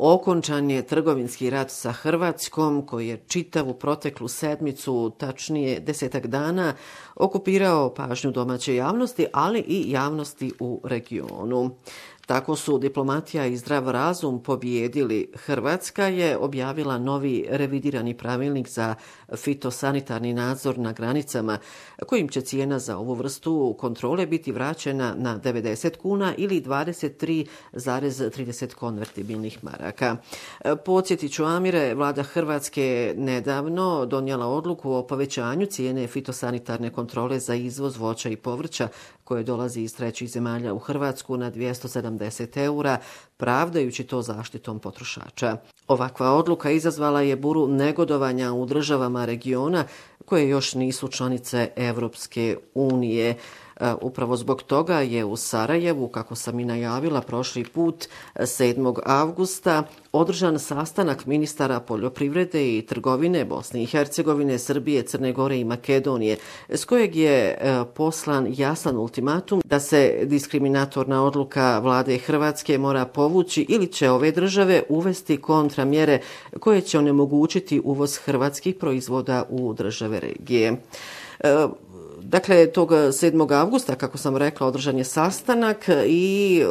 Okončan je trgovinski rat sa Hrvatskom koji je čitavu proteklu sedmicu, tačnije 10 dana, okupirao pažnju domaće javnosti, ali i javnosti u regionu. Tako su diplomatija i zdrav razum pobijedili. Hrvatska je objavila novi revidirani pravilnik za fitosanitarni nadzor na granicama, kojim će cijena za ovu vrstu kontrole biti vraćena na 90 kuna ili 23,30 konvertibilnih maraka. Podsjetit ću, Amire, vlada Hrvatske nedavno donijela odluku o povećanju cijene fitosanitarne kontrole za izvoz voća i povrća koje dolazi iz trećih zemalja u Hrvatsku na 270 eura, pravdajući to zaštitom potrošača. Ovakva odluka izazvala je buru negodovanja u državama regiona koje još nisu članice Evropske unije. Upravo zbog toga je u Sarajevu, kako sam i najavila prošli put, 7. avgusta održan sastanak ministara poljoprivrede i trgovine Bosne i Hercegovine, Srbije, Crne Gore i Makedonije, s kojeg je poslan jasan ultimatum da se diskriminatorna odluka vlade Hrvatske mora povući ili će ove države uvesti kontramjere koje će onemogućiti uvoz hrvatskih proizvoda u države regije. Dakle, tog 7. avgusta, kako sam rekla, održan je sastanak i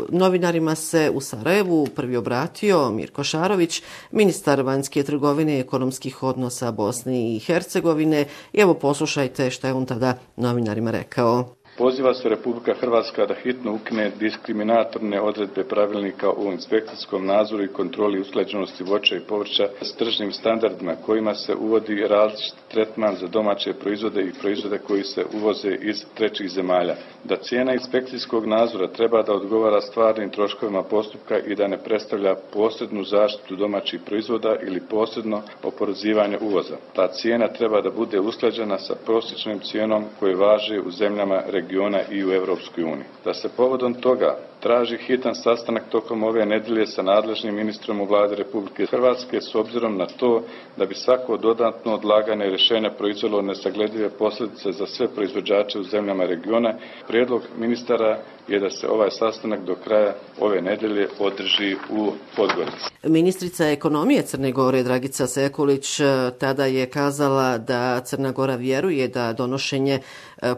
novinarima se u Sarajevu prvi obratio Mirko Šarović, ministar vanjske trgovine i ekonomskih odnosa Bosne i Hercegovine. I evo poslušajte šta je on tada novinarima rekao. Poziva se Republika Hrvatska da hitno ukine diskriminatorne odredbe pravilnika o inspekcijskom nadzoru i kontroli usklađenosti voća i povrća s tržnim standardima kojima se uvodi različit tretman za domaće proizvode i proizvode koji se uvoze iz trećih zemalja. Da cijena inspekcijskog nadzora treba da odgovara stvarnim troškovima postupka i da ne predstavlja posrednu zaštitu domaćih proizvoda ili posredno oporezivanje uvoza. Ta cijena treba da bude usklađena sa prosječnom cijenom koje važe u zemljama regiona i u Evropskoj uniji. Da se povodom toga traži hitan sastanak tokom ove nedelje sa nadležnim ministrom u vlade Republike Hrvatske s obzirom na to da bi svako dodatno odlaganje rješenja proizvelo nesagledive posljedice za sve proizvođače u zemljama regiona. Prijedlog ministara je da se ovaj sastanak do kraja ove nedelje održi u Podgorici. Ministrica ekonomije Crne Gore Dragica Sekulić tada je kazala da Crna Gora vjeruje da donošenje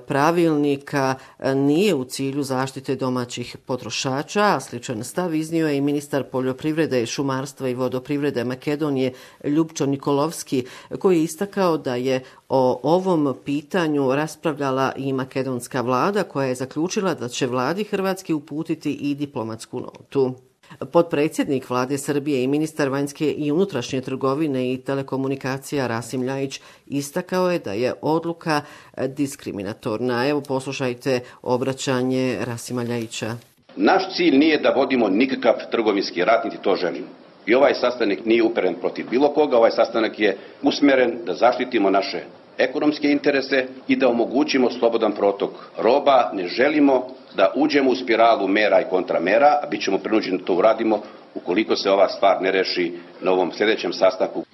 pravilnika nije u cilju zaštite domaćih potrošača, a sličan stav iznio je i ministar poljoprivrede, šumarstva i vodoprivrede Makedonije Ljupčo Nikolovski, koji je istakao da je o ovom pitanju raspravljala i makedonska vlada, koja je zaključila da će vladi Hrvatske uputiti i diplomatsku notu. Potpredsjednik vlade Srbije i ministar vanjske i unutrašnje trgovine i telekomunikacija Rasim Ljajić istakao je da je odluka diskriminatorna. Evo poslušajte obraćanje Rasima Ljajića. Naš cilj nije da vodimo nikakav trgovinski rat, niti to želimo. I ovaj sastanak nije uperen protiv bilo koga, ovaj sastanak je usmjeren da zaštitimo naše ekonomske interese i da omogućimo slobodan protok roba. Ne želimo da uđemo u spiralu mera i kontramera, a bit ćemo prinuđeni da to uradimo ukoliko se ova stvar ne reši na ovom sljedećem sastanku.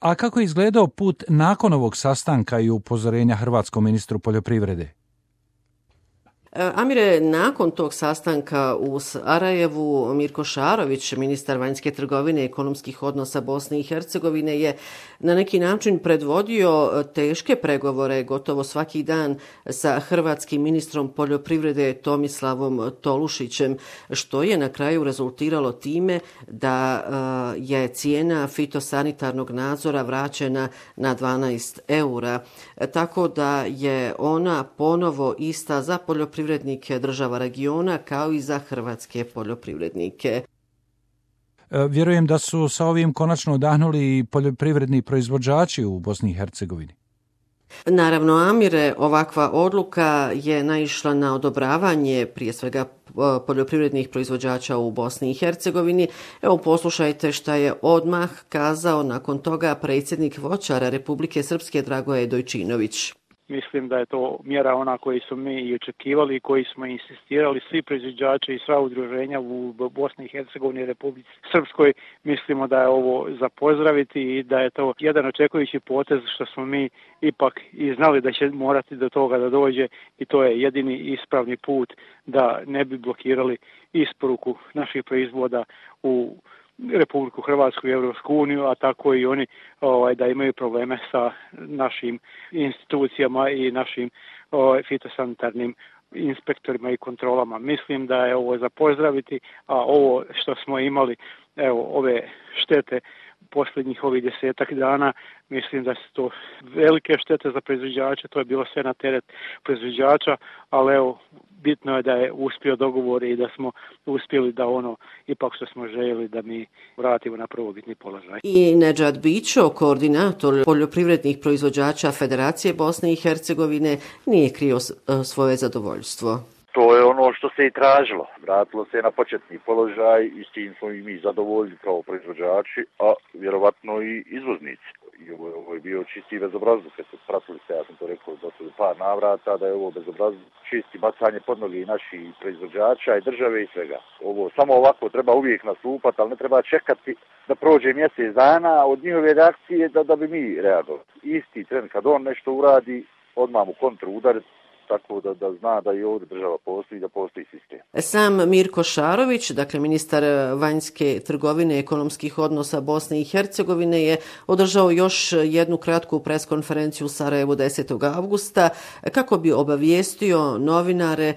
A kako je izgledao put nakon ovog sastanka i upozorenja hrvatskom ministru poljoprivrede? Amire, nakon tog sastanka u Sarajevu, Mirko Šarović, ministar vanjske trgovine i ekonomskih odnosa Bosne i Hercegovine, je na neki način predvodio teške pregovore gotovo svaki dan sa hrvatskim ministrom poljoprivrede Tomislavom Tolušićem, što je na kraju rezultiralo time da je cijena fitosanitarnog nadzora vraćena na 12 eura. Tako da je ona ponovo ista za poljoprivrednike država regiona kao i za hrvatske poljoprivrednike. Vjerujem da su sa ovim konačno odahnuli i poljoprivredni proizvođači u Bosni i Hercegovini. Naravno, Amire, ovakva odluka je naišla na odobravanje prije svega poljoprivrednih proizvođača u Bosni i Hercegovini. Evo poslušajte šta je odmah kazao nakon toga predsjednik voćara Republike Srpske Dragoje Dojčinović. Mislim da je to mjera ona koju su mi i očekivali i koji smo insistirali svi proizvođači i sva udruženja u Bosni i Hercegovini i Republici Srpskoj. Mislimo da je ovo za pozdraviti i da je to jedan očekujući potez što smo mi ipak i znali da će morati do toga da dođe i to je jedini ispravni put da ne bi blokirali isporuku naših proizvoda u Republiku Hrvatsku i Europsku uniju, a tako i oni da imaju probleme sa našim institucijama i našim fitosanitarnim inspektorima i kontrolama. Mislim da je ovo za pozdraviti, a ovo što smo imali, ove štete posljednjih ovih 10 dana, mislim da su to velike štete za proizvođače, to je bilo sve na teret proizvođača, ali bitno je da je uspio dogovor i da smo uspjeli da ipak što smo željeli da mi vratimo na prvobitni položaj. I Nedžad Bićo, koordinator poljoprivrednih proizvođača Federacije Bosne i Hercegovine, nije krio svoje zadovoljstvo. To je ono što se i tražilo. Vratilo se na početni položaj i s tim smo i mi zadovoljni kao proizvođači, a vjerovatno i izvoznici. I ovo je bio čisti bezobrazluk, kad se pratili se, ja sam to rekao do par navrata, da je ovo bezobrazluk, čisti bacanje pod noge i naših proizvođača i države i svega. Ovo samo ovako treba uvijek nastupati, ali ne treba čekati da prođe mjesec dana od njihove reakcije da bi mi reagovali. Isti tren kad on nešto uradi, odmah mu kontru udariti, tako da zna da i ovdje država postoji, da postoji sistem. Sam Mirko Šarović, dakle ministar vanjske trgovine i ekonomskih odnosa Bosne i Hercegovine, je održao još jednu kratku preskonferenciju u Sarajevu 10. avgusta kako bi obavijestio novinare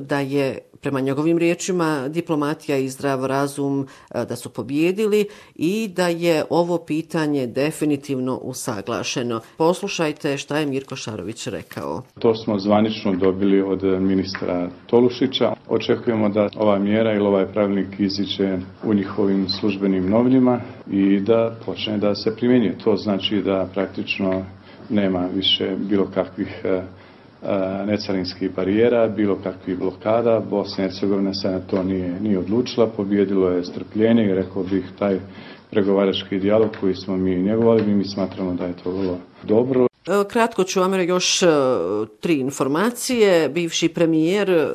da je, prema njegovim riječima, diplomatija i zdrav razum da su pobijedili i da je ovo pitanje definitivno usaglašeno. Poslušajte šta je Mirko Šarović rekao. To smo zvanično dobili od ministra Tolušića. Očekujemo da ova mjera ili ovaj pravilnik iziđe u njihovim službenim novinama i da počne da se primjenjuje. To znači da praktično nema više bilo kakvih necarinskih barijera, bilo kakvih blokada. Bosna i Hercegovina se na to nije odlučila, pobjedilo je strpljenje i rekao bih taj pregovarački dijalog koji smo mi njegovali, mi smatramo da je to vrlo dobro. Kratko ću vam još 3 informacije. Bivši premijer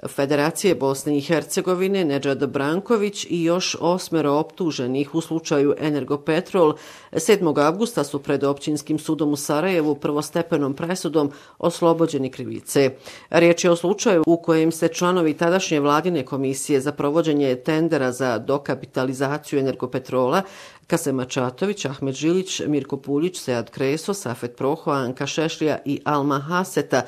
Federacije Bosne i Hercegovine Nedžad Branković i još 8 optuženih u slučaju Energopetrol 7. avgusta su pred Općinskim sudom u Sarajevu prvostepenom presudom oslobođeni krivice. Riječ je o slučaju u kojem se članovi tadašnje vladine komisije za provođenje tendera za dokapitalizaciju Energopetrola Kasem Ačatović, Ahmed Žilić, Mirko Puljić, Sead Kreso, Safet Proho, Anka Šešlija i Alma Haseta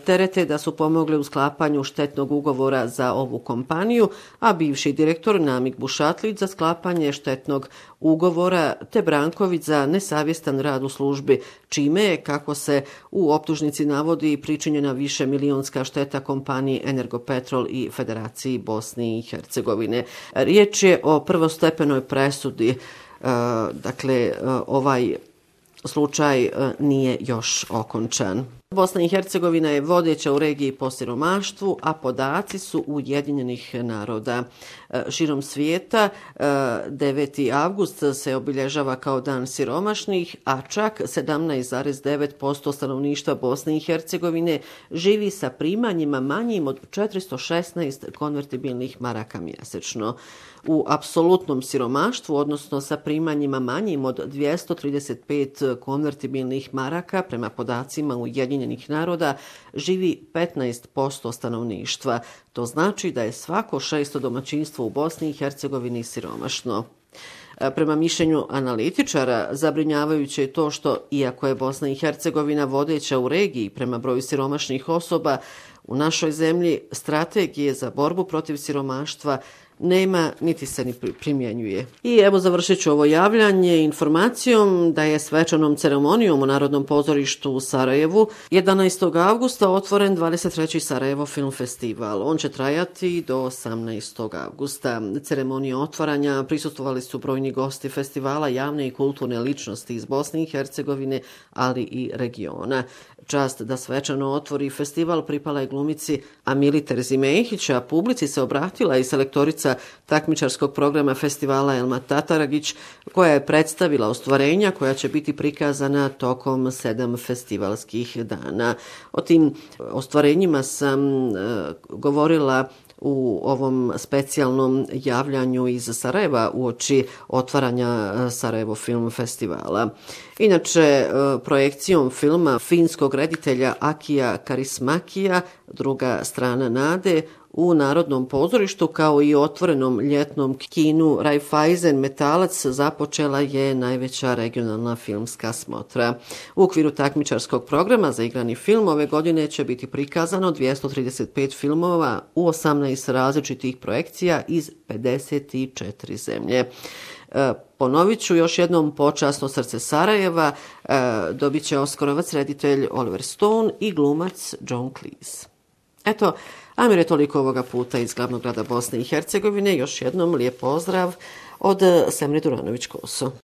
terete da su pomogli u sklapanju štetnog ugovora za ovu kompaniju, a bivši direktor Namik Bušatlić za sklapanje štetnog ugovora te Branković za nesavjestan rad u službi, čime je, kako se u optužnici navodi, pričinjena višemilionska šteta kompaniji Energopetrol i Federaciji Bosne i Hercegovine. Riječ je o prvostepenoj presudi. Dakle, ovaj slučaj nije još okončan. Bosna i Hercegovina je vodeća u regiji po siromaštvu, a podaci su Ujedinjenih naroda. Širom svijeta 9. avgust se obilježava kao dan siromašnih, a čak 17,9% stanovništva Bosne i Hercegovine živi sa primanjima manjim od 416 konvertibilnih maraka mjesečno. U apsolutnom siromaštvu, odnosno sa primanjima manjim od 235 konvertibilnih maraka, prema podacima Ujedinjenih naroda, živi 15% stanovništva. To znači da je svako 6. domaćinstvo u Bosni i Hercegovini siromašno. Prema mišljenju analitičara, zabrinjavajuće je to što, iako je Bosna i Hercegovina vodeća u regiji prema broju siromašnih osoba, u našoj zemlji strategije za borbu protiv siromaštva nema niti se ni primjenjuje. I evo završit ću ovo javljanje informacijom da je svečanom ceremonijom u Narodnom pozorištu u Sarajevu 11. avgusta otvoren 23. Sarajevo film festival. On će trajati do 18. avgusta. Ceremonije otvaranja prisustvovali su brojni gosti festivala, javne i kulturne ličnosti iz Bosne i Hercegovine, ali i regiona. Čast da svečano otvori festival pripala je glumici Amili Terzimehić, a publici se obratila i selektorica takmičarskog programa festivala Elma Tataragić, koja je predstavila ostvarenja koja će biti prikazana tokom 7 festivalskih dana. O tim ostvarenjima sam govorila u ovom specijalnom javljanju iz Sarajeva uoči otvaranja Sarajevo film festivala. Inače, projekcijom filma finskog reditelja Akija Karismakija, Druga strana nade, U Narodnom pozorištu kao i otvorenom ljetnom kinu Raiffeisen Metalac započela je najveća regionalna filmska smotra. U okviru takmičarskog programa za igrani film ove godine će biti prikazano 235 filmova u 18 različitih projekcija iz 54 zemlje. Ponovit ću još jednom, Počasno srce Sarajeva dobit će Oskarovac reditelj Oliver Stone i glumac John Cleese. Eto, Amire, toliko ovoga puta iz glavnog grada Bosne i Hercegovine. Još jednom lijep pozdrav od Semre Duranović-Koso.